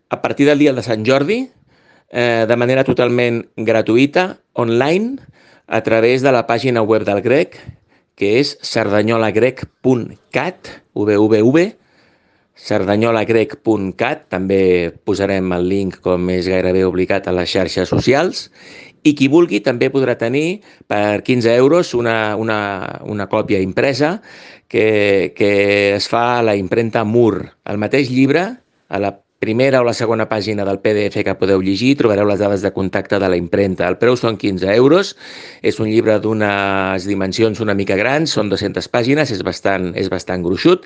a partir del dia de Sant Jordi, de manera totalment gratuïta, online, a través de la pàgina web del Grec, que és cerdanyolagrec.cat, cerdanyolagrec.cat, també posarem el link, com és gairebé obligat, a les xarxes socials, i qui vulgui també podrà tenir per 15 euros una còpia impresa que es fa a la impremta Mur. El mateix llibre, a la primera o la segona pàgina del PDF que podeu llegir, trobareu les dades de contacte de la impremta. El preu són 15 euros, és un llibre d'unes dimensions una mica grans, són 200 pàgines, és bastant gruixut,